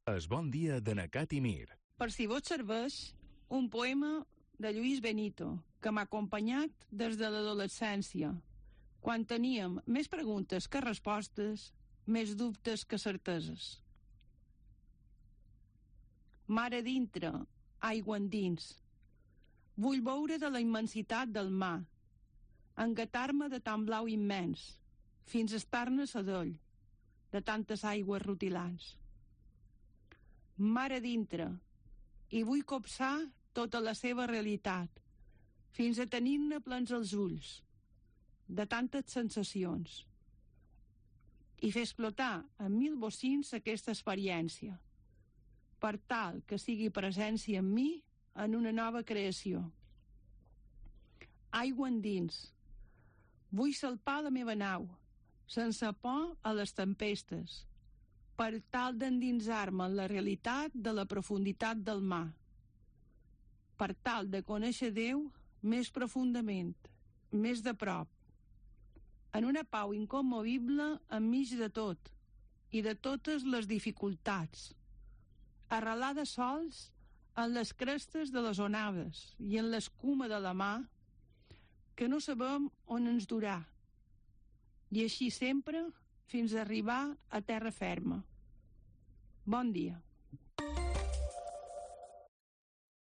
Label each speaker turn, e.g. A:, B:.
A: Es bon dia de Nacat i Mir.
B: Per si vos serveix, un poema de Lluís Benito, que m'ha acompanyat des de l'adolescència, quan teníem més preguntes que respostes, més dubtes que certeses. Mar a dintre, aigua endins. Vull veure de la immensitat del mar, engatar-me de tan blau immens, fins a estar-ne sadoll, de tantes aigües rutilants. Mar a dintre, i vull copsar tota la seva realitat, fins a tenir-ne plens els ulls, de tantes sensacions, i fer explotar en 1000 bocins aquesta experiència, per tal que sigui presència en mi en una nova creació. Aigua endins. Vull salpar la meva nau, sense por a les tempestes, per tal d'endinsar-me en la realitat de la profunditat del mar, per tal de conèixer Déu més profundament, més de prop, en una pau incommovible enmig de tot i de totes les dificultats, arrelada sols en les crestes de les onades i en l'escuma de la mar, que no sabem on ens durà, i així sempre fins a arribar a terra ferma. Bon dia.